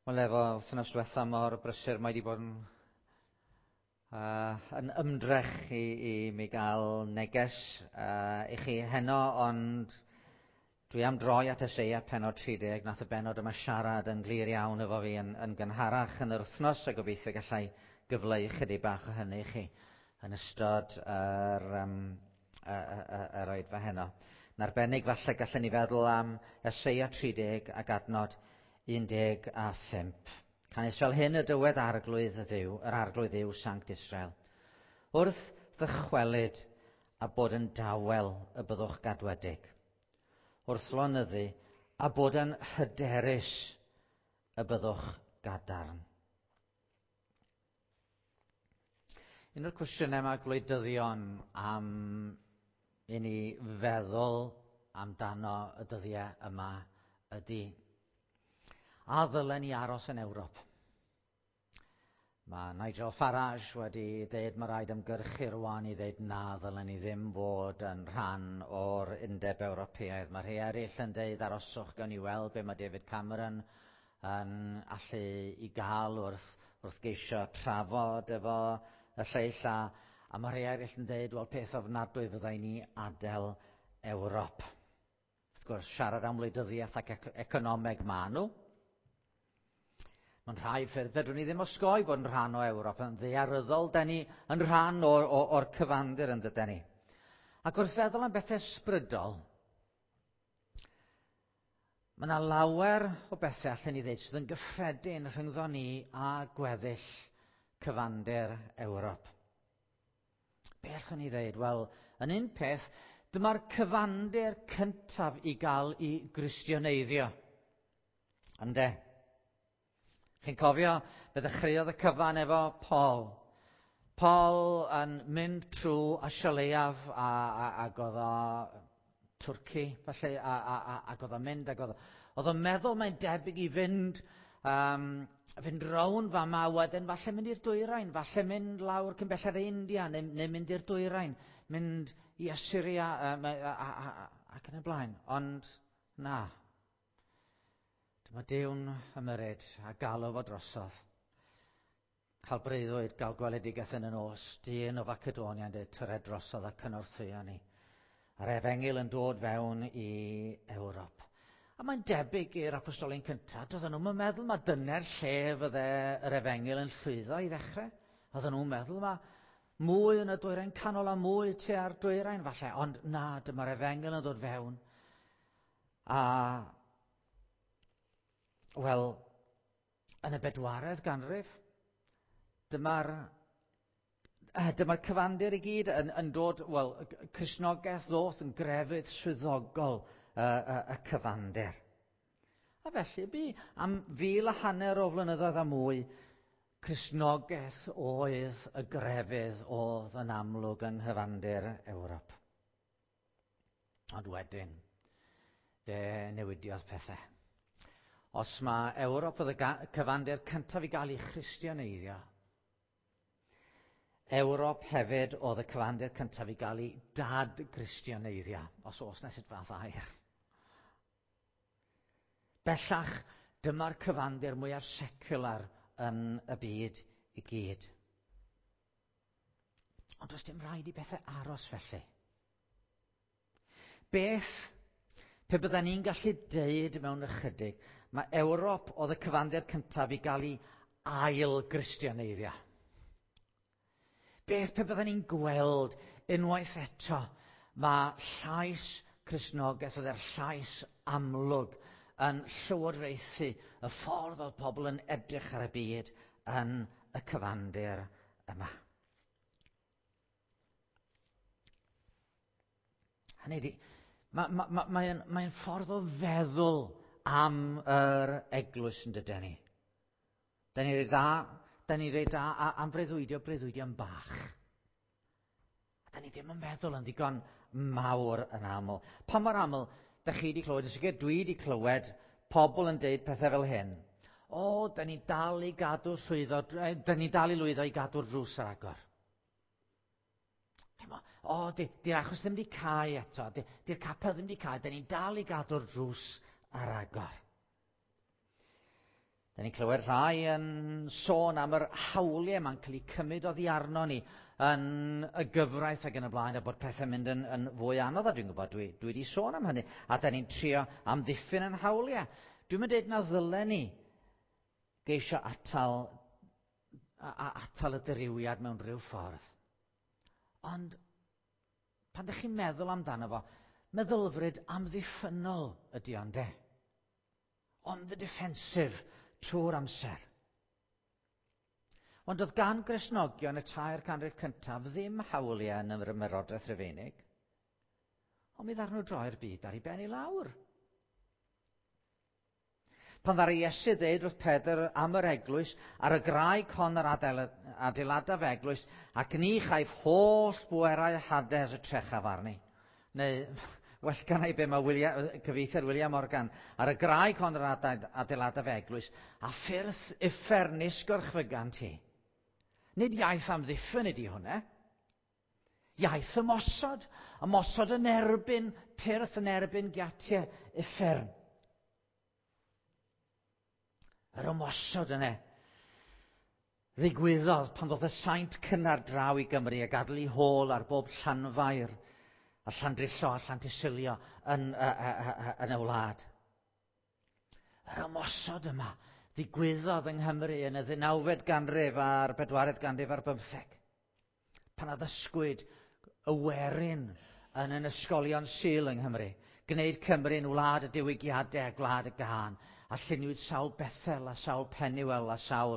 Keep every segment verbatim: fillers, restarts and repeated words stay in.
Wel, efo wythnos diwetha mor brysur, mae wedi bod yn, uh, yn ymdrech i, i mi gael neges uh, i chi heno, ond dwi am droi at Eseia pennod tri deg. Nath y bennod yma siarad yn glir iawn efo fi yn, yn gynharach yn yr wythnos, a gobeithio gallai gyfleu chydig bach o hynny i chi yn ystod yr, um, y, y, yr oedfa heno. Yn arbennig falle gallen ni feddwl am Eseia tri deg ac adnod un deg a phump. Canys fel hyn y dywed arglwydd y Dduw, yr arglwydd Dduw Sanct Israel. Wrth ddychwelyd a bod yn dawel y byddwch gadwedig. Wrth lonyddu a bod yn hyderus y byddwch gadarn. Un o'r cwestiynau mae gwleidyddion am i ni feddwl amdano y dyddiau yma ydy, a ddylen ni aros yn Ewrop? Mae Nigel Farage wedi dweud mae rhaid ymgyrchu rwan i ddeud na ddylen ni ddim fod yn rhan o'r Undeb Ewropeaidd. Mae rhai eraill yn dweud aroswch, gawn ni weld be mae David Cameron yn allu i gael wrth, wrth geisio trafod efo y lleill, a, a mae rhai eraill yn dweud, wel, peth ofnadwy fyddai ni adael Ewrop. Wrth gwrs, siarad am wleidyddiaeth ac economeg ma nhw. Mewn rhai ffyrdd, fedrwn ni ddim osgoi bod yn rhan o Ewrop. Yn ddaearyddol, da ni yn rhan o'r, or, or cyfandir yn dyden ni. Ac wrth feddwl am bethau ysbrydol, mae yna lawer o bethau allan ni ddeud sydd yn gyffredin rhyngddo ni a gweddill cyfandir Ewrop. Be allwn ni ddeud? Wel, yn un peth, dyma'r cyfandir cyntaf i gael i gristioneiddio. Ynde? Chi'n cofio, fe ddechreuodd y cyfan efo Paul. Paul yn mynd trwy Asia Leiaf a, a, ac oedd o Twrci, falle, a, a, a, ac oedd o'n mynd, ac oedd oedd o'n meddwl mae'n debyg i fynd, um, fynd rown fama, wedyn falle mynd i'r dwyrain, falle mynd lawr cyn belled India, neu, neu mynd i'r dwyrain, mynd i Assyria, um, a, a, a, a, ac yn y blaen. Ond na. Dyma Duw'n ymyrryd a galw fo drosodd. Cael breuddwyd, gael gweledigaeth yn y nos, dyn o Facedonia yn dweud, tyred drosodd a cynorthwyo ni. A'r efengyl yn dod fewn i Ewrop. A mae'n debyg i'r apostolion cyntaf, doedden nhw'n meddwl mae dyna'r lle fydde yr efengyl yn llwyddo i ddechrau. Oedden nhw'n meddwl mae mwy yn y dwyrain canol a mwy tua'r dwyrain falle, ond na, dyma'r efengyl yn dod fewn. A wel, yn y bedwaredd ganrif, dyma'r dyma'r cyfandir i gyd yn, yn dod, wel, Cristnogaeth ddoth yn grefydd swyddogol y, y, y cyfandir. A felly bu am fil a hanner o flynyddoedd a mwy, Cristnogaeth oedd y grefydd oedd yn amlwg yng nghyfandir Ewrop. Ond wedyn, fe newidiodd pethau. Os mae Ewrop oedd y cyfandir cyntaf i gael ei christianeiddio, Ewrop hefyd oedd y cyfandir cyntaf i gael ei dad-gristianeiddio, os oes na sut fath air. Bellach, dyma'r cyfandir mwyaf secular yn y byd i gyd. Ond does dim rhaid i bethau aros felly. Beth, pe bydden ni'n gallu deud mewn ychydig, mae Ewrop oedd y cyfandir cyntaf i gael ei ail-gristianeiddio. Beth pe bydden ni'n gweld unwaith eto, mae llais Cristnogaeth oedd yr llais amlwg yn llywodraethu y ffordd oedd pobl yn edrych ar y byd yn y cyfandir yma. Hynny ydi, mae'n ma, ma, mae mae ffordd o feddwl am yr eglwys yn dydyn ni. Da ni'n reit dda, da ni'n reit dda am breuddwydio, breuddwydio yn bach. A da ni ddim yn meddwl yn ddigon mawr yn aml. Pa mor aml, da chi wedi clywed, yn sicr dwi wedi clywed pobl yn deud pethau fel hyn. O, da ni dal i gadw llwyddo, da ni dal i lwyddo i gadw'r drws ar agor. O, di'r di achos ddim wedi cau eto, di'r di capel ddim wedi cau, da ni'n dal i gadw'r drws ar agor. Da ni'n clywed rhai yn sôn am yr hawliau ma'n cael eu cymryd oddi arno ni yn y gyfraith ac yn y blaen, a bod pethau'n mynd yn, yn fwy anodd, a dwi'n gwybod, dwi, dwi wedi sôn am hynny, a da ni'n trio amddiffyn yn hawliau. Dwi'n mynd dweud na ddylen ni geisio atal, a, a, atal y dirywiad mewn rhyw ffordd. Ond pan ydych chi'n meddwl amdano fo, meddylfryd amddiffynnol ydy o'n de. On the defensive trwy'r amser. Ond oedd gan Gristnogion y tair canrif cyntaf ddim hawliau yn yr Ymerodraeth Rufeinig. Ond mi ddaru nhw droi'r byd ar ei ben i lawr. Pan ddaru Iesu ddeud wrth Pedr am yr eglwys, ar y graig hon yr adeiladaf eglwys, ac ni chaiff holl bwerau Hades y trechaf arni. Neu, well gan i be mae William, cyfieithiad William Morgan, ar y graig hon yr adeiladaf eglwys, a ffyrdd uffern nis gorchfygant hi. Nid iaith amddiffyn ydy hwnna. Iaith ymosod. Ymosod yn erbyn pyrth, yn erbyn giatiau uffern. Yr ymosod yna ddigwyddodd pan ddodd y saint cynnar draw i Gymru a gadael ei hôl ar bob Llanfair a Llandrillo a Llantysilio yn, yn y wlad. Yr ymosod yma ddigwyddodd yng Nghymru yn y ddeunawfed ganrif a'r bedwaredd ganrif ar bymtheg. Pan addysgwyd y werin yn yn ysgolion Sul yng Nghymru, gwneud Cymru'n wlad y diwygiadau a gwlad y gân, a lluniwyd sawl Bethel a sawl Penuel a sawl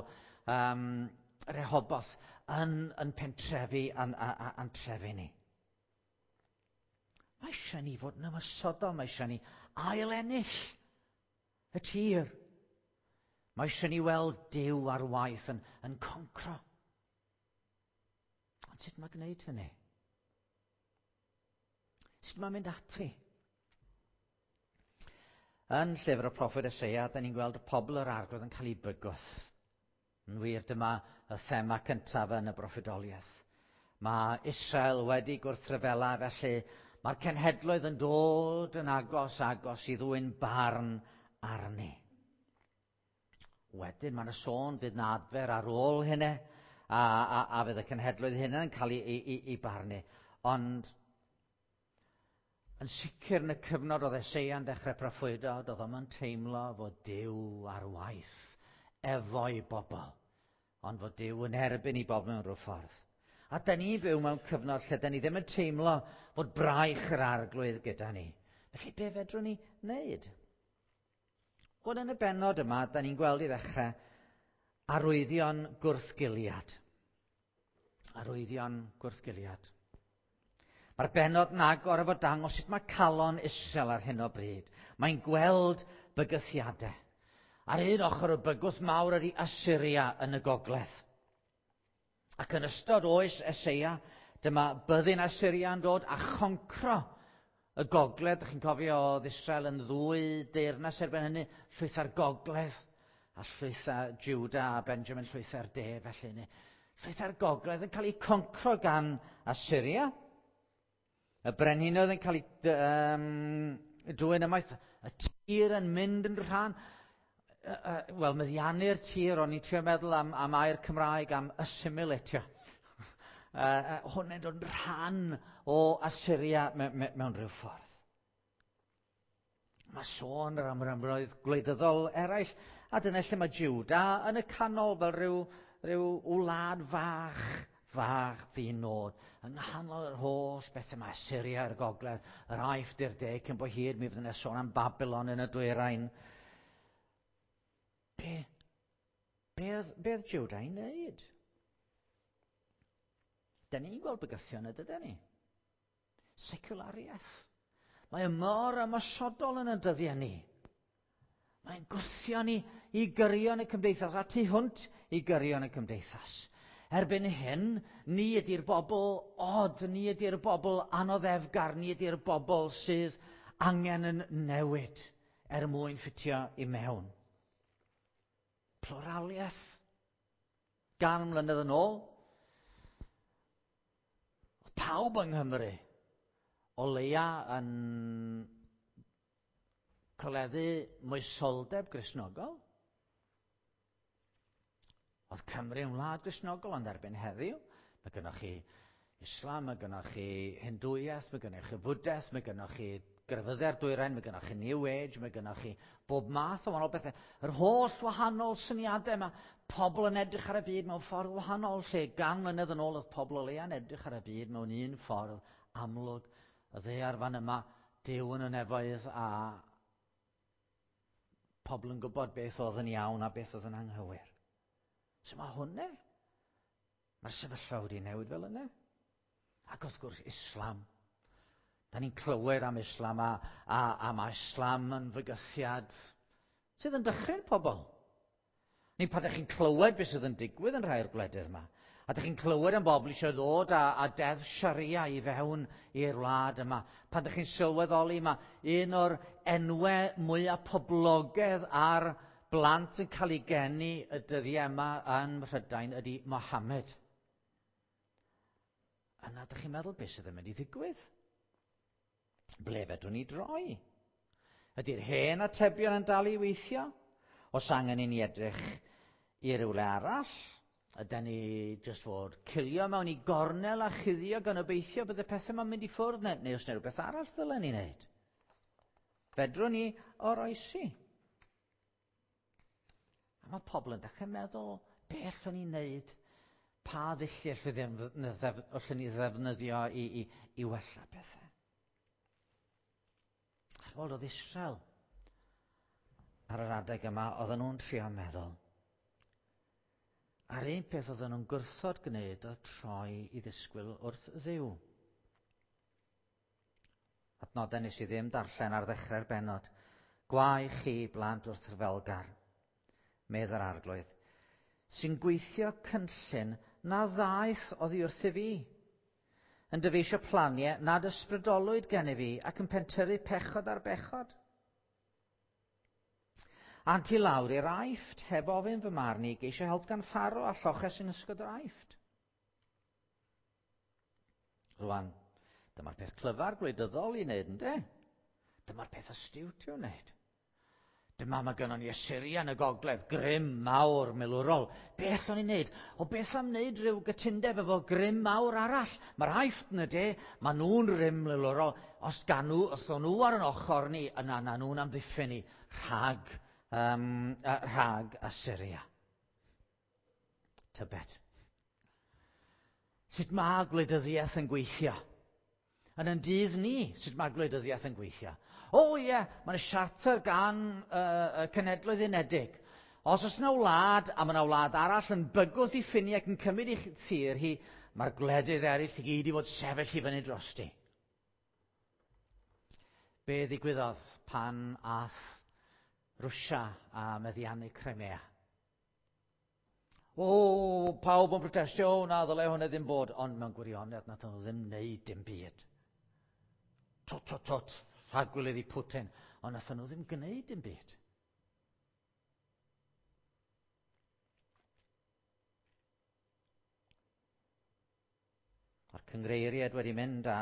um, Rehoboth yn, yn pentrefi a'n, a'n trefi ni. Mae eisiau ni fod yn ymosodol, mae eisiau ni ail ennill y tir. Mae eisiau ni weld Duw ar waith yn, yn concro. Ond sut mae gwneud hynny? Sut mae mynd ati? Yn llyfr y proffwyd Eseia, da ni'n gweld y pobl yr Arglwydd yn cael ei bygwth. Yn wir, dyma y thema cyntaf yn y broffwydoliaeth. Mae Israel wedi gwrthryfela, felly mae'r cenhedloedd yn dod yn agos, agos i ddwyn barn arni. Wedyn mae yna sôn fydd na adfer ar ôl hynny, a, a, a fydd y cenhedloedd hynny yn cael ei, ei, ei, ei barnu. Ond yn sicr yn y cyfnod oedd Eseia'n dechrau proffwydo, doedd o'm yn teimlo fod Duw ar waith efo'i bobl, ond fod Duw yn erbyn i bobl mewn rhyw ffordd. A da ni'n byw mewn cyfnod lle da ni ddim yn teimlo fod braich yr Arglwydd gyda ni. Felly be fedrwn ni wneud? Wel, yn y bennod yma, da ni'n gweld i ddechrau arwyddion gwrthgiliad. Arwyddion gwrthgiliad. Mae'r bennod yn agor efo dangos sut mae calon Israel ar hyn o bryd. Mae'n gweld bygythiadau. Ar un ochr y bygwth mawr ydy Asyria yn y gogledd. Ac yn ystod oes Eseia, dyma byddin Asyria yn dod a choncro y gogledd. Dych chi'n cofio oedd Israel yn ddwy deyrnas erbyn hynny, llwytha'r gogledd a llwytha Juda a Benjamin llwytha'r de felly. Llwytha'r gogledd yn cael ei concro gan Asyria. Y brenhinoedd yn cael ei um, dwyn ymaith, y tir yn mynd yn rhan. Uh, Wel, meddiannu'r tir, o'n i'n trio meddwl am, am air Cymraeg, am assimilatio. Uh, uh, hwn yn dod yn rhan o Asyria me, me, mewn rhyw ffordd. Mae sôn am rymoedd gwleidyddol eraill, a dyna lle mae Juda yn y canol fel rhyw, rhyw wlad fach, fach ddinod. Yng nghanol yr holl bethau mae Asyria i'r gogledd, yr Aifft i'r de, cyn bo hir mi fydd yna sôn am Babylon yn y dwyrain. Be, be, oedd, be oedd Juda i wneud? Da ni'n gweld bygythion ydy ni? Seculariaeth. Mae o mor ymosodol yn y dyddiau ni. Mae'n gwthio ni i gyrion y cymdeithas a tu hwnt i gyrion y cymdeithas. Erbyn hyn, ni ydy'r bobl od, ni ydy'r bobl anoddefgar, ni ydy'r bobl sydd angen yn newid er mwyn ffitio i mewn. Pluraliaeth. Gan mlynedd yn ôl, oedd pawb yng Nghymru o leia yn coleddu moesoldeb Gristnogol. Oedd Cymru yn wlad Gristnogol, ond erbyn heddiw, mae gennych chi Islam, mae gennych chi Hindwiaeth, mae gennych chi Fwdaeth, mae gennych chi grefyddau'r dwyrain, mae gennych chi New Age, mae gennych chi bob math o wahanol bethau. Yr holl wahanol syniadau yma, pobl yn edrych ar y byd mewn ffordd wahanol, lle gan mlynedd yn ôl oedd pobl o leia'n edrych ar y byd mewn un ffordd amlwg. Y ddaear fan yma, Duw yn y nefoedd a pobl yn gwybod beth oedd yn iawn a beth oedd yn anghywir. So mae hwnna, mae'r sefyllfa wedi newid fel yna. Ac wrth gwrs, Islam. Da ni'n clywed am Islam a, a, a mae Islam yn fygythiad sydd yn dychryn pobl. Ni pan ydych chi'n clywed beth sydd yn digwydd yn rhai o'r gwledydd yma, a ydych chi'n clywed am bobl eisiau ddod â, a deddf Sharia i fewn i'r wlad yma, pan ydych chi'n sylweddoli mae un o'r enwau mwyaf poblogaidd ar blant yn cael ei geni y dyddiau yma yn Mhrydain ydy Mohammed. Yna ydych chi'n meddwl beth sydd yn mynd i ddigwydd? Ble fedrwn ni droi? Ydy'r hen atebion yn dal i weithio? Os angen i ni edrych i rywle arall? Ydy ni jyst fod cilio mewn i gornel a chuddio gan obeithio bydd y pethau yma'n mynd i ffwrdd neu, neu os yna rhywbeth arall ddylen ni wneud? Fedrwn ni oroesi? A mae pobl yn dechrau meddwl, beth allwn ni wneud? Pa ddulliau allwn ni ddefnyddio i, i, i wella pethau? Chimod, oedd Israel ar yr adeg yma, oedden nhw'n trio meddwl. A'r un peth oedden nhw'n gwrthod gwneud oedd troi i ddisgwyl wrth Dduw. Adnodau nes i ddim darllen ar ddechrau'r bennod. Gwae chi blant wrth ryfelgar, medd yr Arglwydd, sy'n gweithio cynllun na ddaeth oddi wrthyf fi, yn dyfeisio planiau nad ysbrydolwyd gennyf fi ac yn pentyrru pechod ar bechod. Ant i lawr i'r Aifft, heb ofyn fy marn i, geisio help gan Pharaoh a lloches yn ysgod yr Aifft. Rwan, dyma'r peth clyfar gwleidyddol i wneud, yndê? Dyma'r peth astute i'w wneud. Dyma mae gynnon ni Assyria yn y gogledd, grym mawr milwrol. Be allwn ni wneud? O beth am wneud rhyw gytundeb efo grym mawr arall? Mae'r Aifft yn y de, maen nhw'n rym milwrol. Os gan nhw, os o'n nhw ar yn ochr ni, yna na nhw'n amddiffyn ni rhag, um, rhag Assyria. Tybed. Sut mae gwleidyddiaeth yn gweithio? Yn yn dydd ni, sut mae gwleidyddiaeth yn gweithio? O ie, mae'n siarter gan uh, y Cenhedloedd Unedig. Os oes yna wlad, a mae yna wlad arall yn bygwth i ffiniau ac yn cymryd ei thir hi, mae'r gwledydd eraill i gyd i fod sefyll i fyny drosti. Be ddigwyddodd pan ath Rwsia a meddiannu Crimea? O, pawb yn protestio, o, na, ddylai hwnna ddim bod. Ond mewn gwirionedd, nath nhw ddim wneud dim byd. Twt, twt, twt, rhagwilydd i Putin. Ond nath nhw ddim gwneud dim byd. Mae'r cyngreiriaid wedi mynd a,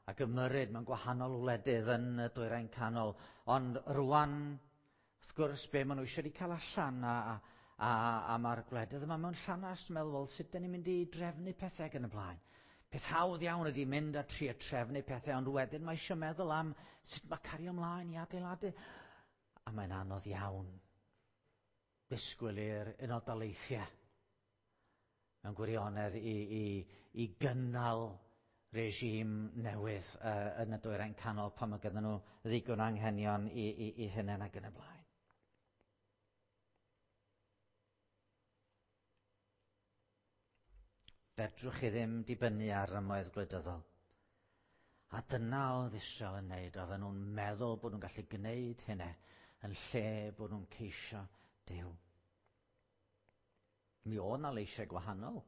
ac ymyrryd mewn gwahanol wledydd yn y Dwyrain Canol. Ond rwan, wrth gwrs, be maen nhw eisiau wedi cael allan a, a, a, a mae'r gwledydd yma mewn llanast yn meddwl, wel, sut dyn ni'n mynd i drefnu pethau ac yn y blaen. Peth hawdd iawn ydy mynd a trio trefnu pethau, ond wedyn mae eisiau meddwl am sut mae cario ymlaen i adeiladu. A mae'n anodd iawn disgwyl i'r Unol Daleithiau mewn gwirionedd i, i, i gynnal regime newydd uh, yn y Dwyrain Canol pan mae gyda nhw ddigon anghenion i, i, i hunain ac yn y blaen. Fedrwch chi ddim dibynnu ar rymoedd gwleidyddol. A dyna oedd Israel yn wneud. Oedden nhw'n meddwl bod nhw'n gallu gwneud hynny yn lle bod nhw'n ceisio Duw. Mi oedd 'na leisiau gwahanol.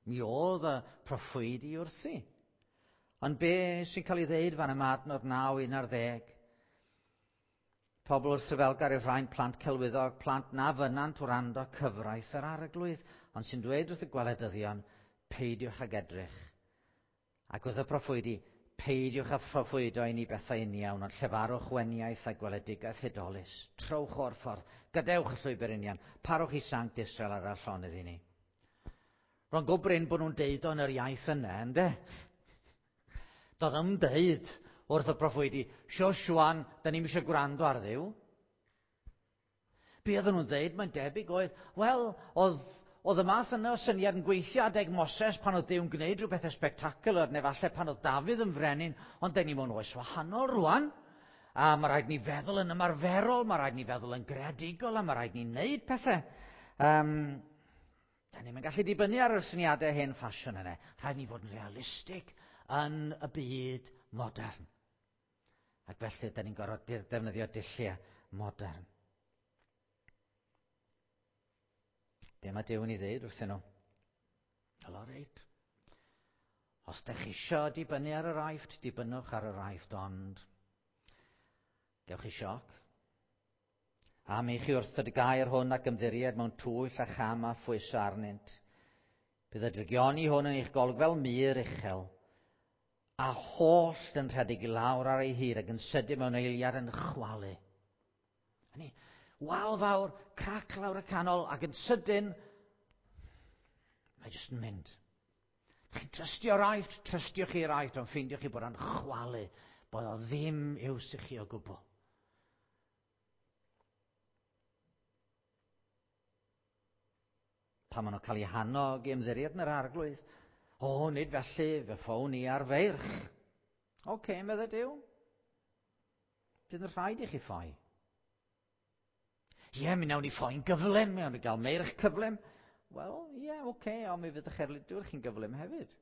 Mi oedd y proffwydi wrthi. Ond be sy'n cael ei ddeud fan yma adnod naw un ar ddeg? Pobl wrth ryfelgar yw'r rhain, plant celwyddog, plant na fynnant wrando cyfraith yr Arglwydd, ond sy'n dweud wrth y gweledyddion, peidiwch ag edrych. Ac wrth y proffwydi, Peidiwch â phroffwydo i ni bethau uniawn, ond llefarwch weniaith a gweledigaeth hudolus. Trowch o'r ffordd, gadewch y llwybr union, parwch i Sanct Israel ar y llonydd i ni. Ro'n gwbrin bod nhw'n deud o yn yr iaith yna, ynddo? Doedd nhw'n deud wrth y proffwydi, Sioswan, da ni'n eisiau gwrando ar Dduw. Be oedden nhw'n dweud, mae'n debyg oedd, wel, oedd, oedd y math yna o syniad yn gweithio adeg Moses pan oedd Duw'n gwneud rhywbeth spectacular, neu falle pan oedd Dafydd yn frenin, ond da ni mewn oes wahanol rwan. A mae rhaid ni feddwl yn ymarferol, mae rhaid ni feddwl yn greadigol, a mae rhaid ni wneud pethau. Um, da ni'n gallu dibynnu ar y syniadau hen ffasiwn yna. Rhaid ni fod yn realistig yn y byd modern. Ac felly, da ni'n gorfod defnyddio dulliau modern. Be mae Duw yn ei ddeud wrthyn nhw? Wel, o reit. Os dych chi isio dibynnu ar yr Aifft, dibynnwch ar yr Aifft, ond gewch chi sioc. Am i chi wrthod y gair hwn ac ymddiried mewn twyll a cham a phwyso arnynt. Bydd y drygioni hwn yn eich golwg fel mur uchel, a hollt yn rhedeg i lawr ar ei hyd ac yn sydyn mewn eiliad yn chwalu. Hynny, wal fawr, crac lawr y canol ac yn sydyn, mae jyst yn mynd. Chi'n trystio'r Aifft, trystiwch chi'r Aifft, ond ffeindiwch chi bod o'n chwalu, bod o ddim iws i chi o gwbl. Pan maen nhw'n cael eu hannog i ymddiried yn yr Arglwydd, o, nid felly, fe ffown ni ar feirch. Oce, okay, meddai Duw. Bydd yn rhaid i chi ffoi. Ie, mi wnawn ni ffoi'n gyflym, mi wnawn ni gael meirch cyflym. Wel, ie, oce, okay, ond mi fydd eich erlidwyr chi'n gyflym hefyd.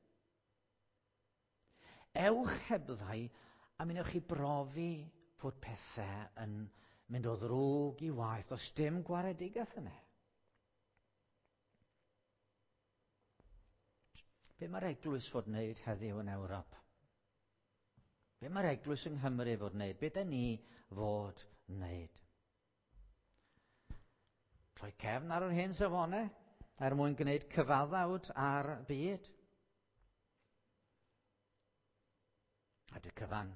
Ewch hebddau a mi wnewch chi brofi fod pethau yn mynd o ddrwg i waeth. Does dim gwaredigaeth yna. Be mae'r eglwys fod wneud heddiw yn Ewrop? Be mae'r eglwys yng Nghymru fod wneud? Be da ni fod wneud? Troi cefn ar yr hen safonau er mwyn gwneud cyfaddawd ar byd. A dy cyfan,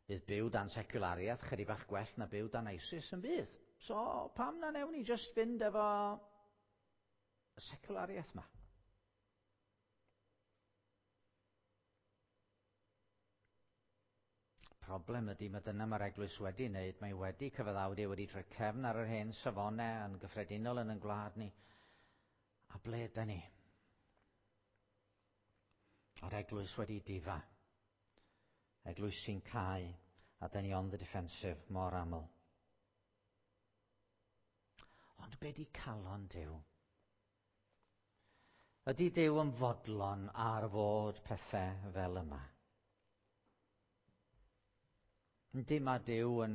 bydd byw dan seculariaeth chydig bach gwell na byw dan ISIS yn bydd. So pam na newn ni just fynd efo y seculariaeth ma? Problem ydy, mae dyna mae'r eglwys wedi wneud, mae wedi cyfaddawdu, wedi troi cefn ar yr hen safonau yn gyffredinol yn ein gwlad ni. A ble yda ni? A'r eglwys wedi difa. Eglwys sy'n cau, a da ni on the defensive mor aml. Ond be di calon Duw? Ydy Duw yn fodlon ar fod pethau fel yma? Yndi, mae Duw yn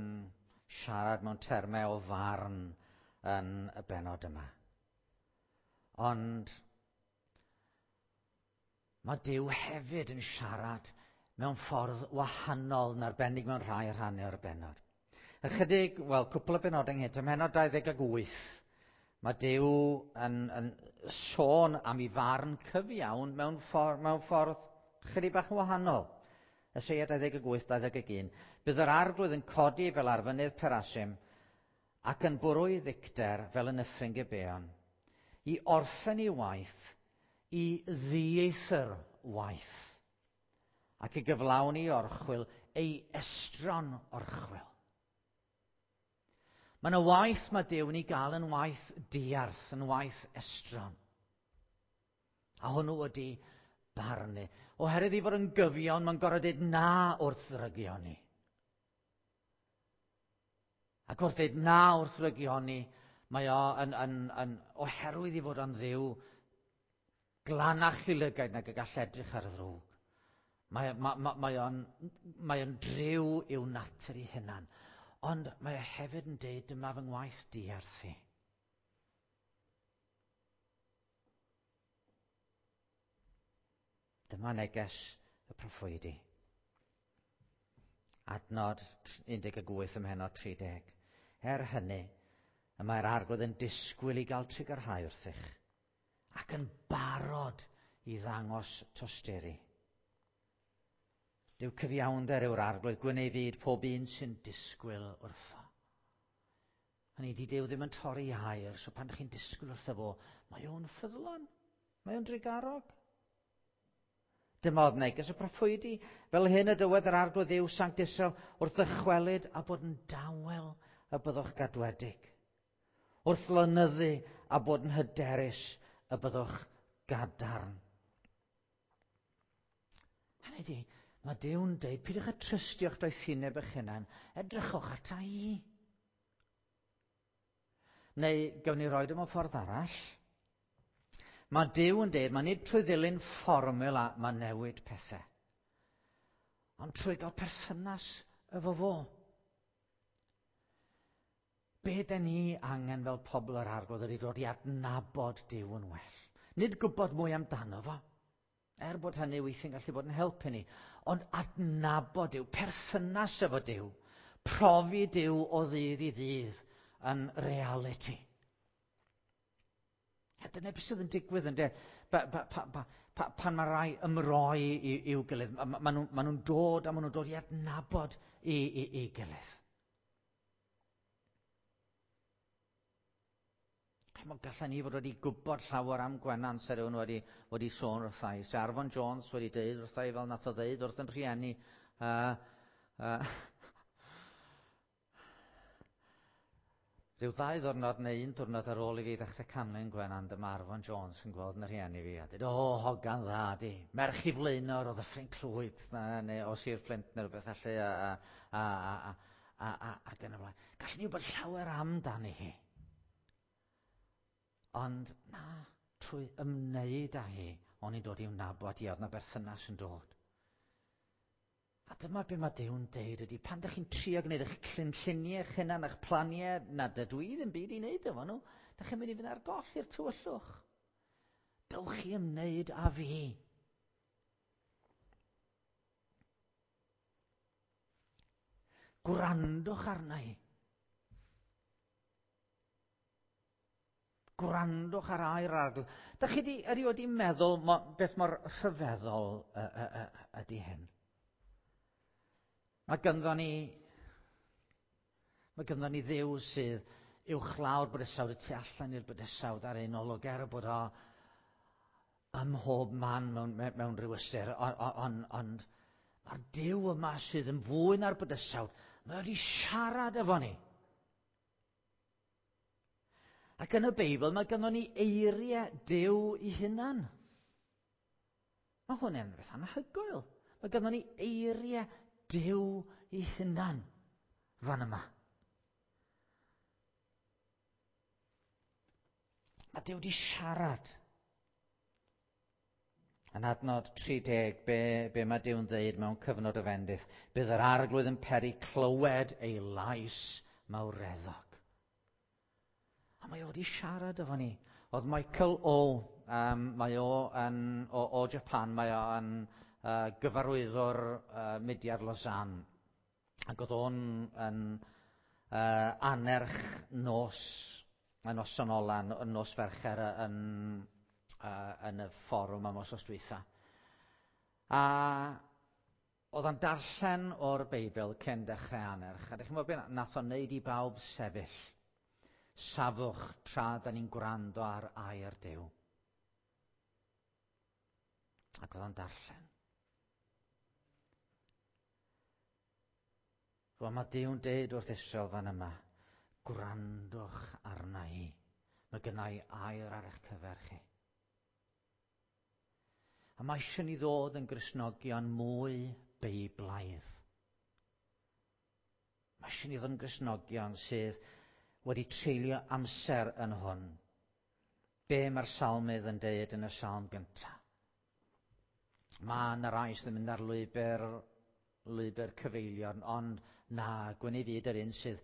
siarad mewn termau o farn yn y bennod yma. Ond mae Duw hefyd yn siarad mewn ffordd wahanol yn arbennig mewn rhai rhannau o'r bennod. Ychydig, wel, cwpl o benodau ynghynt, ym mhennod dau ddeg wyth, mae Duw yn, yn sôn am ei farn cyfiawn mewn ffordd, mewn ffordd chydig bach yn wahanol. Eseia dau ddeg wyth, dau ddeg un. Bydd yr Arglwydd yn codi fel ar fynydd Perasim ac yn bwrw ei ddicter fel yn nyffryn Gibeon, i orffen ei waith, i ddieithr waith, ac i gyflawni orchwyl ei estron orchwyl. Mae yna waith mae Duw yn ei gael yn waith diarth, yn waith estron. A hwnnw ydy barnu. Oherwydd i fod yn gyfiawn, mae'n gorfod dweud na wrth ddrygioni. Ac wrth dweud na wrth ddrygioni, mae o yn, yn, yn, oherwydd i fod yn Dduw glanach i lygaid nag y gall edrych ar y ddrwg. Mae, mae, mae, mae o'n, mae o'n driw i'w natur ei hunan. Ond mae o hefyd yn deud dyma fy ngwaith diarth i. Dyma neges y proffwydi. Adnod un deg wyth ym mhennod tri deg. Er hynny, y mae'r Arglwydd yn disgwyl i gael trugarhau wrthych ac yn barod i ddangos tosturi. Duw cyfiawnder yw'r Arglwydd, gwyn ei fyd pob un sy'n disgwyl wrtho. Hynny ydi, Duw ddim yn torri air, so pan ydych chi'n disgwyl wrtho fo, mae o'n ffyddlon, mae o'n drugarog. Dyma oedd neges y proffwydi, fel hyn y dywed yr Arglwydd Dduw Sanct Israel, wrth ddychwelyd a bod yn dawel y byddwch gadwedig. Wrth lynyddu a bod yn hyderus y byddwch gadarn. Hynny ydi, mae Duw'n deud, peidiwch â trystio'ch doethineb eich hunain, edrychwch ata i. Neu, gawn ni roed o mewn ffordd arall. Mae Duw yn deud, mae nid trwy ddilyn fformula mae newid pethau, ond trwy gael perthynas efo fo. Be den ni angen fel pobl yr Arglwydd ydy dod i adnabod Duw yn well. Nid gwybod mwy amdano fo, er bod hynny weithiau'n gallu bod yn helpu ni, ond adnabod Duw, perthynas efo Duw, profi Duw o ddydd i ddydd yn realiti. A dyna beth sydd yn digwydd ynde, ba, ba, pa, pa, pa, pan mae rai ymroi i'w gilydd, ma, ma nhw'n ma nhw dod a maen nhw'n dod i adnabod i, i, i gilydd. Gallen ni fod wedi gwybod llawer am Gwenan se rhywun wedi, wedi sôn wrtha i. Se Arfon Jones wedi deud wrtha i fel nath o ddeud wrth yn rhieni. Uh, uh, Rhyw ddau ddwrnod neu un diwrnod ar ôl i fi ddechrau canlyn Gwenan, dyma Arfon Jones yn gweld yn rhieni fi a dweud, o, hogan dda di, merch i Flaenor o Ddyffryn Clwyd, neu o Sir Fflint neu rhywbeth felly, a, a, a, a, a, a, ac yn y blaen. Gallwn ni wybod llawer amdani hi. Ond na, trwy ymwneud â hi, o'n i'n dod i'w nabod hi, oedd na berthynas yn dod. A dyma be mae Duw'n deud ydy, pan ydych chi'n trio gwneud eich cynlluniau eich hunan, eich planiau, na dydw i ddim byd i wneud efo nhw, ydych chi'n mynd i fynd ar goll i'r tywyllwch. Dewch chi ymwneud â fi. Gwrandwch arna i. Gwrandwch ar air yr Arglwydd. Dach chi di, erioed di meddwl mo, beth mor rhyfeddol uh, uh, uh, ydy hyn? Mae ganddo ni, mae ganddo ni Dduw sydd uwchlaw'r bydysawd, y tu allan i'r bydysawd ar ein olwg, er bod o ym mhob man mewn, mewn rhyw ystyr, ond on, on, mae'r Duw yma sydd yn fwy na'r bydysawd, mae wedi siarad efo ni. Ac yn y Beibl mae ganddo ni eiriau Duw i hunan. Mae hwn yn beth anhygoel. Mae ganddo ni eiriau Duw i hunan fan yma. Mae Duw wedi siarad. Yn adnod tri deg, be, be mae Duw'n dweud mewn cyfnod o fendith, bydd yr Arglwydd yn peri clywed ei lais mawreddog. A mae o wedi siarad efo ni. Oedd Michael O, um, mae o yn, o, o Japan, mae o yn uh, gyfarwyddwr uh, mudiad Lausanne. Ac oedd o'n yn uh, anerch nos, y noson ola, y nos Fercher yn, uh, yn y fforwm am wythnos dwytha. A oedd o'n darllen o'r Beibl cyn dechrau anerch. A dych chi'n gwybod beth nath o'n neud i bawb sefyll. Safwch tra da ni'n gwrando ar air Duw. Ac oedd o'n darllen. Wel, mae Duw'n deud wrth Israel fan yma, gwrandwch arna i. Mae gynna i air ar eich cyfer chi. A mae eisiau ni ddod yn Gristnogion mwy Beiblaidd. Mae eisiau ni ddod yn Gristnogion sydd wedi treulio amser yn hwn. Be mae'r salmydd yn deud yn y salm gyntaf? Mae yna rai sydd yn mynd ar lwybr, lwybr cyfeilion, ond na, gwyn ei fyd yr un sydd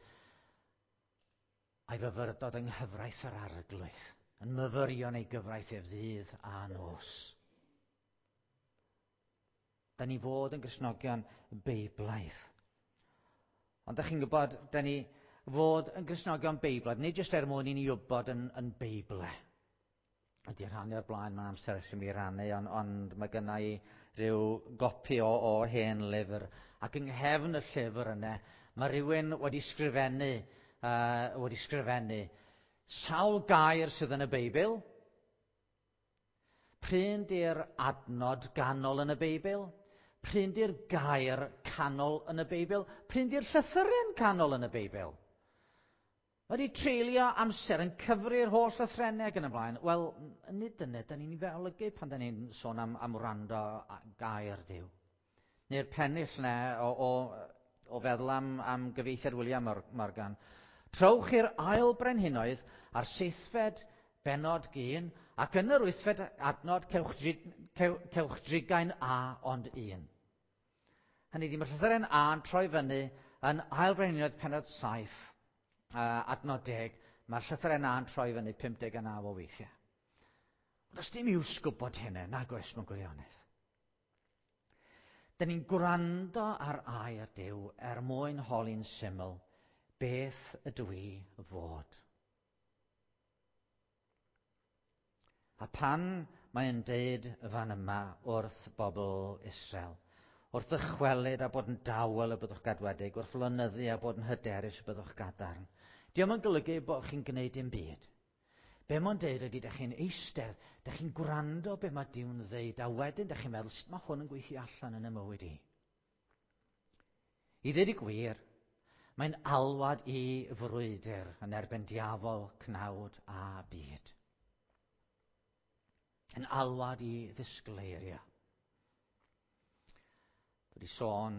a'i fyfyrdod yng nghyfraith yr Arglwydd, yn myfyrio yn ei gyfraith ef ddydd a nos. Da ni fod yn Gristnogion Beiblaidd. Ond da chi'n gwybod, da ni fod yn Gristnogion Beiblaidd, nid jyst er mwyn i ni wybod yn, yn Beible. Ydy rhannu o'r blaen, mae'n amser ers i mi rannu, ond, ond mae gynna i rhyw gopi o, o hen lyfr, ac yng nghefn y llyfr yna, mae rhywun wedi sgrifennu, uh, wedi sgrifennu sawl gair sydd yn y Beibl, pryn di'r adnod ganol yn y Beibl, pryn di'r gair canol yn y Beibl, pryn di'r llythyren canol yn y Beibl. Mae wedi treulio amser yn cyfri'r holl lythrennau ac yn y blaen. Wel, nid dyna, da ni'n ei olygu pan da ni'n sôn am, am wrando gair Duw. Neu'r pennill na o, o, o feddwl am, am gyfieithiad William Morgan. Trowch i'r ail brenhinoedd a'r seithfed bennod gyn, ac yn yr wythfed adnod cewch, cew, cewch drigain A ond un. Hynny ydi, mae'r llythyren A yn troi fyny yn ail brenhinoedd pennod saith, uh, adnod deg, mae'r llythyren A yn troi fyny pum deg a naw o weithiau. Ond does dim iws gwybod hynny, nag oes mewn gwirionedd. Dyn ni'n gwrando ar air Duw er mwyn holi'n syml, beth ydw i fod? A pan mae'n deud fan yma wrth bobl Israel, wrth ddychwelyd a bod yn dawel y byddwch gadwedig, wrth lynyddu a bod yn hyderus y byddwch gadarn, dio'm yn golygu bod chi'n gwneud dim byd. Be mae'n deud ydy, dych chi'n eistedd, dych chi'n gwrando be mae Duw'n ddeud, a wedyn dych chi'n meddwl, sut mae hwn yn gweithio allan yn y mywyd i? I ddweud y gwir, mae'n alwad i frwydr yn erbyn diafol, cnawd a byd. Yn alwad i ddisgleirio. Dwi wedi sôn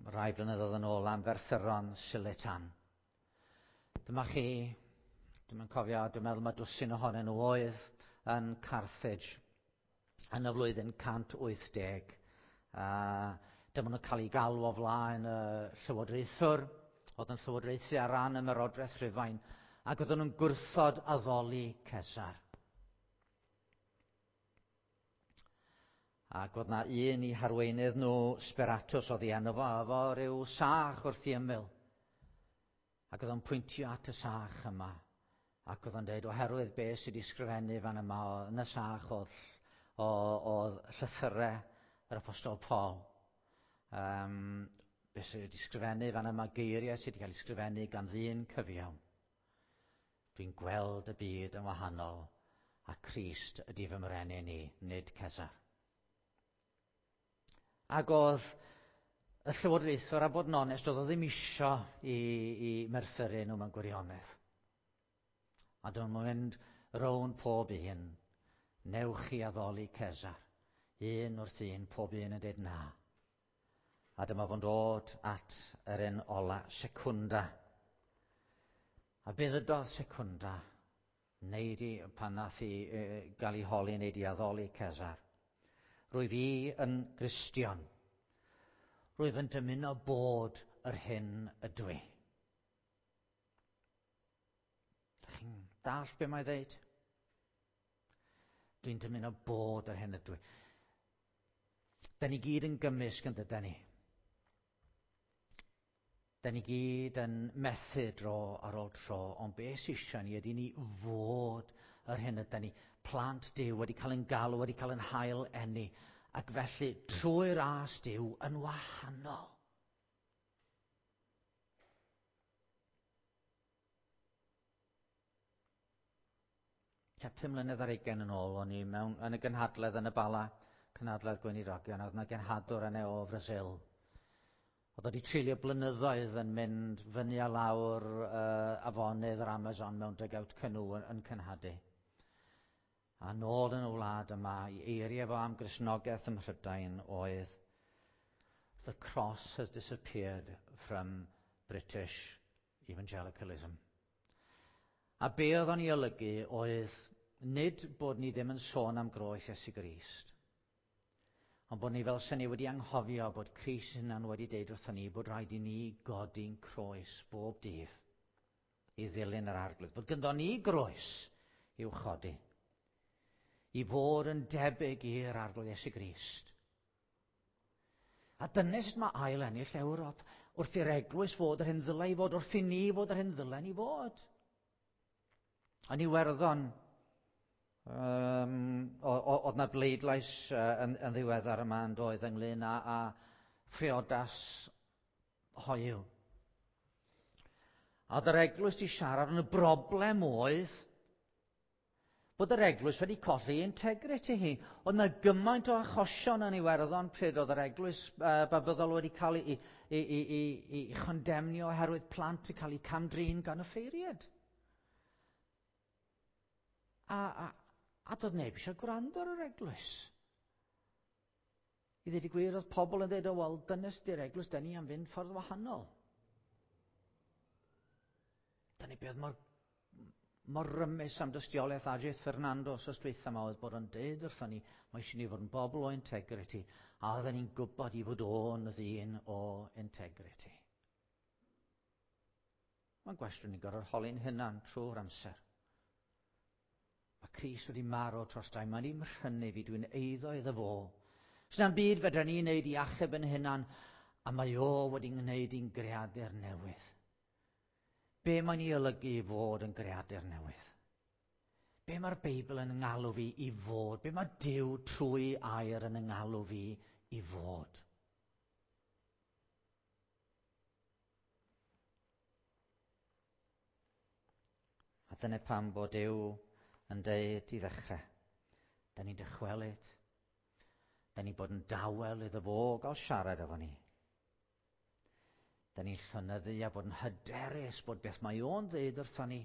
rai blynyddoedd yn ôl am ferthyron Silitan. Dyma chi, dwi'm yn cofio, dwi'n meddwl mae dwsin ohonyn nhw oedd yn Carthage yn y flwyddyn cant wyth deg. Uh, dyma nhw'n cael eu galw o flaen y llywodraethwr, oedd yn llywodraethu ar ran ymerodraeth Rhufain, ac oedden nhw'n gwrthod addoli Cesar. Ac oedd na un i harweinydd nhw, Speratus, oedd ei enw fo, efo rhyw sach wrth ei ymyl. Ac oedd o'n pwyntio at y sach yma. Ac oedd o'n dweud, oherwydd beth sydd wedi sgrifennu fan yma, yn y sach oedd, oedd llythyrau yr Apostol Paul. Um, beth sydd wedi sgrifennu fan yma, geiriau sydd wedi cael ei sgrifennu gan ddyn cyfiawn. Dwi'n gweld y byd yn wahanol, a Crist ydy fy mrenin i, nid Cesar. Ac oedd y llywodraethwr, a bod yn onest, oedd o ddim isio i, i merthyru nhw mewn gwirionedd. A dyma nhw'n mynd rownd pob un, newch chi addoli Cesar. Un wrth un, pob un yn dweud na. A dyma fo'n dod at yr un ola, Secunda. A be ddydodd Secunda? Neu di, pan nath i e, gael ei holi, neu di addoli Cesar. Rwyf i yn Gristion. Rwyf yn dymuno bod yr hyn ydw i. Dach chi'n dallt be mae ddeud? Dwi'n dymuno bod yr hyn ydw i. Da ni gyd yn gymysg yn dydan ni. Da ni gyd yn methu dro ar ôl tro, ond be sy eisiau ni ydy ni fod yr hyn ydan ni. Plant Duw wedi cael yn galw, wedi cael yn hail eni, ac felly trwy ras Duw yn wahanol. Tua pum mlynedd ar hugain yn ôl, o'n i mewn, yn y gynhadledd yn y Bala, cynhadledd Gweinidogion, oedd yna genhadwr yna o Brasil. Oedd wedi treulio blynyddoedd yn mynd fyny a lawr uh, afonydd yr Amazon mewn dugout canoe yn, yn cynhadu. A nôl yn y wlad yma, i eiriau fo am Gristnogaeth ym Mhrydain oedd The cross has disappeared from British evangelicalism. A be oedd o'n ei olygu oedd nid bod ni ddim yn sôn am groes Iesu Grist, ond bod ni fel sy'n ni wedi anghofio bod Crist hunan wedi deud wrthon ni bod rhaid i ni godi'n croes bob dydd i ddilyn yr Arglwydd. Bod gyndo ni groes i'w chodi, i fod yn debyg i'r Arglwydd Iesu Grist. A dyna sut mae ail ennill Ewrop, wrth i'r eglwys fod yr hyn ddylai fod, wrth i ni fod yr hyn ddylai ni fod. Yn Iwerddon, Um, oedd na bleidlais uh, yn, yn ddiweddar yma yn doedd ynglyn â, â phriodas hoyw. A oedd yr eglwys di siarad yn y broblem oedd bod yr eglwys wedi colli integrity hi. Oedd na gymaint o achosion yn Iwerddon pryd oedd yr eglwys uh, Babyddol wedi cael ei, ei, ei, ei, ei chondemnio oherwydd plant yn cael eu camdrin gan y ffeiriad. A, a, a doedd neb eisiau gwrando ar yr eglwys. I ddweud y gwir, oedd pobl yn dweud, o, wel, dyna sydd eglwys, dyn ni am fynd ffordd wahanol. Dyna beth mor, mor rymus am dystiolaeth Ajith Fernando os dweitha yma oedd bod yn deud wrthon ni, mae eisiau ni fod yn bobl o integrity, a oedden ni'n gwybod i fod o'n ddyn o integrity. Mae'n gwestiwn ni'n gorfod holi'n hunan trwy'r amser. Mae Crist wedi marw dros dau, mae'n i'n mhrynu fi, dwi'n eiddo iddo fo. S'na'm byd fedra ni wneud i achub yn hunan, a mae o wedi gwneud i'n greadur newydd. Be mae'n ei olygu i fod yn greadur newydd? Be mae'r Beibl yn ngalw fi i fod? Be mae Duw trwy air yn ngalw fi i fod? A dyna pam bod Duw yn deud i ddechrau, da ni'n dychwelyd, da ni'n bod yn dawel iddo fo gael siarad efo ni. Da ni'n llonyddu a bod yn hyderus bod beth mae o'n ddeud wrthon ni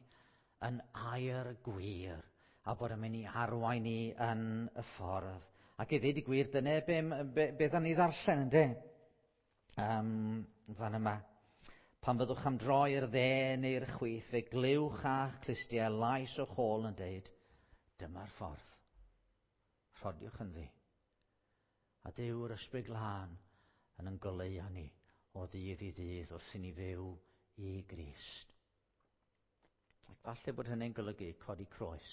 yn air gwir a bod yn mynd i arwain ni yn y ffordd. Ac i ddweud y gwir, dyna be, be, be dda ni ddarllen, ynddo? Um, fan yma. Pan fyddwch am droi i'r dde neu'r chwith, fe glywch a'ch clustiau lais o'ch ôl yn deud, dyma'r ffordd. Rhodiwch ynddi. A Duw'r Ysbryd Glân yn yn goleuo ni o ddydd i ddydd wrth i ni fyw i Grist. Ac falle bod hynny'n golygu codi croes.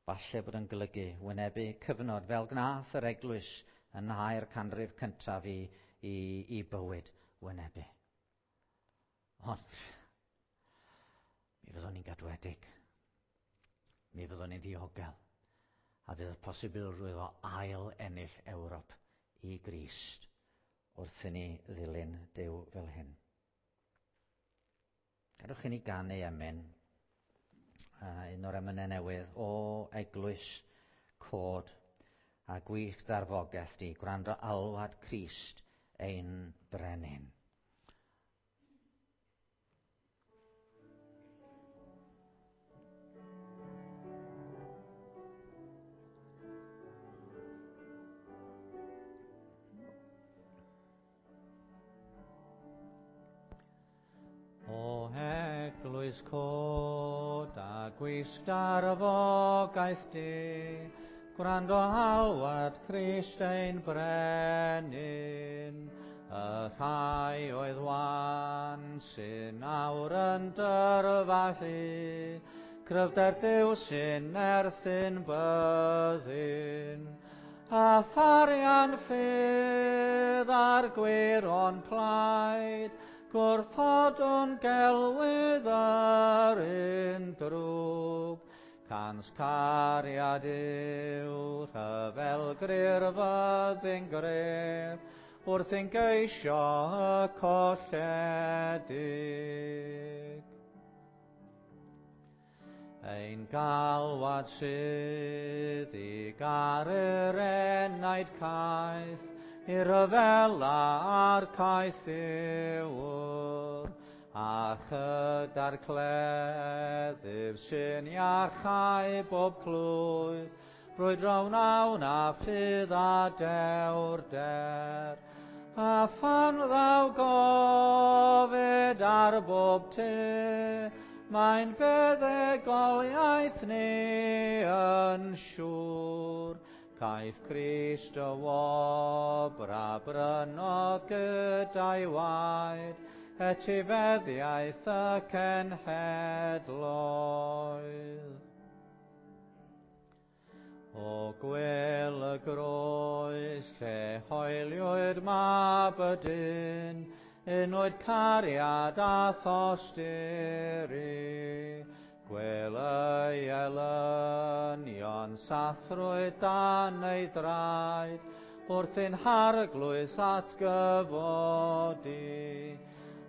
Falle bod yn golygu wynebu cyfnod fel gnath yr eglwys yn air canrif cyntaf i, i, i bywyd wynebu. Ond, mi fyddwn ni'n gadwedig. Mi fyddwn ni'n ddiogel. A fydd y posibilrwydd o ail ennill Ewrop i Grist wrth i ni ddilyn Duw fel hyn. Gadewch i ni ganu emyn, uh, un o'r emynau newydd, o eglwys cod a gwych darfogaeth di, gwrando alwad Crist ein brenin. O eglwys cod a gwisg darfogaeth di, gwrando alwad Crist ein brenin, y rhai oedd wan sy'n awr yn dyrfalu, cryfder Duw sy'n nerthyn byddin, a tharian ffydd a'r gwir o'n plaid, gwrthodwn gelwydd yr un drwg, cans cariad yw rhyfel gryr fyddin gref, wrth i'n geisio y colledig. Ein galwad sydd i garu'r enaid caeth, i ryfela a'r caeth yw'r, a chyda'r cleddyf sy'n iachau bob clwyf, brwydro wnawn a ffydd a dewrder, a phan ddaw gofid ar bob tu, mae'n buddugoliaeth ni yn siŵr. Caiff Crist y wobr a brynodd gyda'i waed, etifeddiaeth y cenhedloedd. O gwel y groes lle hoeliwyd mab y dyn, unwyd cariad a thosturi. Gwel ei elynion sathrwyd dan ei draed, wrth ein harglwydd atgyfodi.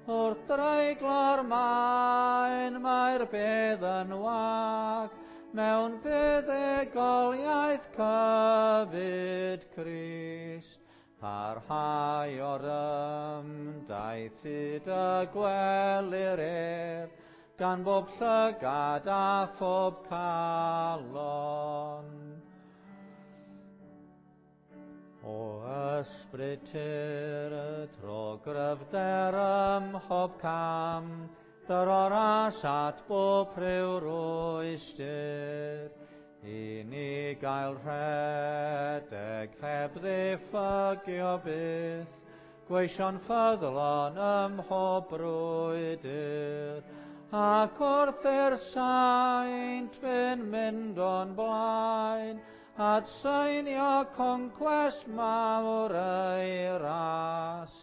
Wrth dreiglo'r maen mae'r bedd yn wag, mewn buddugoliaeth cyfyd Crist. Parhau o'r ymdaith hyd y gwelir ef, gan bob llygad a phob calon. O ysbryd tir, tro gryfder ym mhob cam, dyro'r as at bob rhyw rwystr, i ni gael rhedeg heb ddiffygio byth, gweision ffyddlon ym mhob brwydr, ac wrth i'r saint fynd mynd o'n blaen, at seinio concwest mawr ei ras,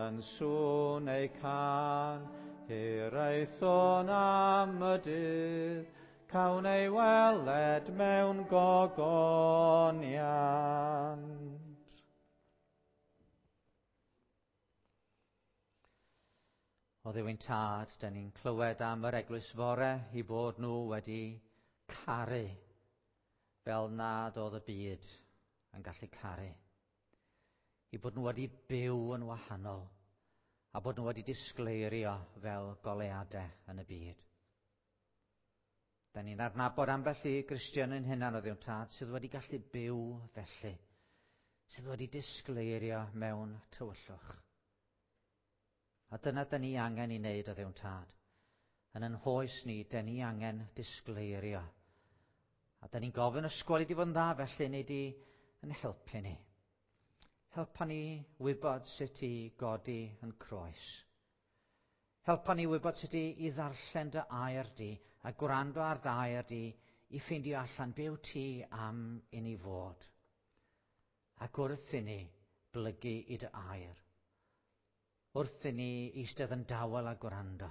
yn sŵn ei can, hiraethwn am y dydd, cawn ei weled mewn gogoniant. O Dduw ein Tad, dan ni'n clywed am yr eglwys fore i bod nhw wedi caru fel nad oedd y byd yn gallu caru. I bod nhw wedi byw yn wahanol a bod nhw wedi disgleirio fel goleuadau yn y byd. Da ni'n adnabod ambell i Gristion yn hunan o Dduw Tad sydd wedi gallu byw felly, sydd wedi disgleirio mewn tywyllwch. A dyna da ni angen i wneud o Dduw Tad. Yn yn hoes ni, da ni angen disgleirio. A da ni'n gofyn ysgol i di fod yn dda felly, neu di yn helpu ni. Helpa ni wybod sut i godi yn croes. Helpa ni wybod sut i, i ddarllen dy air di a gwrando ar dy air di i ffeindio allan be wyt ti am i ni fod. Ac wrth i ni blygu i dy air, wrth i ni eistedd yn dawel a gwrando,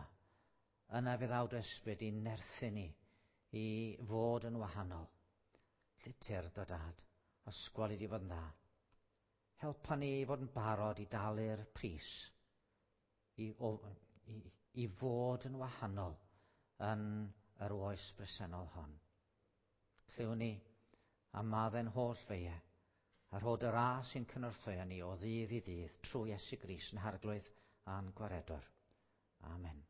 yna fe ddaw dy ysbryd i nerthu ni i fod yn wahanol. Lle tyrd o Dad, ysgol i di fod yn dda. Helpa ni i fod yn barod i dalu'r pris, i, o, i, i fod yn wahanol yn yr oes bresennol hon. Clywn ni am maddau'n holl feiau, a rhod y ras sy'n cynorthwyo ni o ddydd i ddydd trwy Iesu Grist yn Harglwydd a'n Gwaredwr. Amen.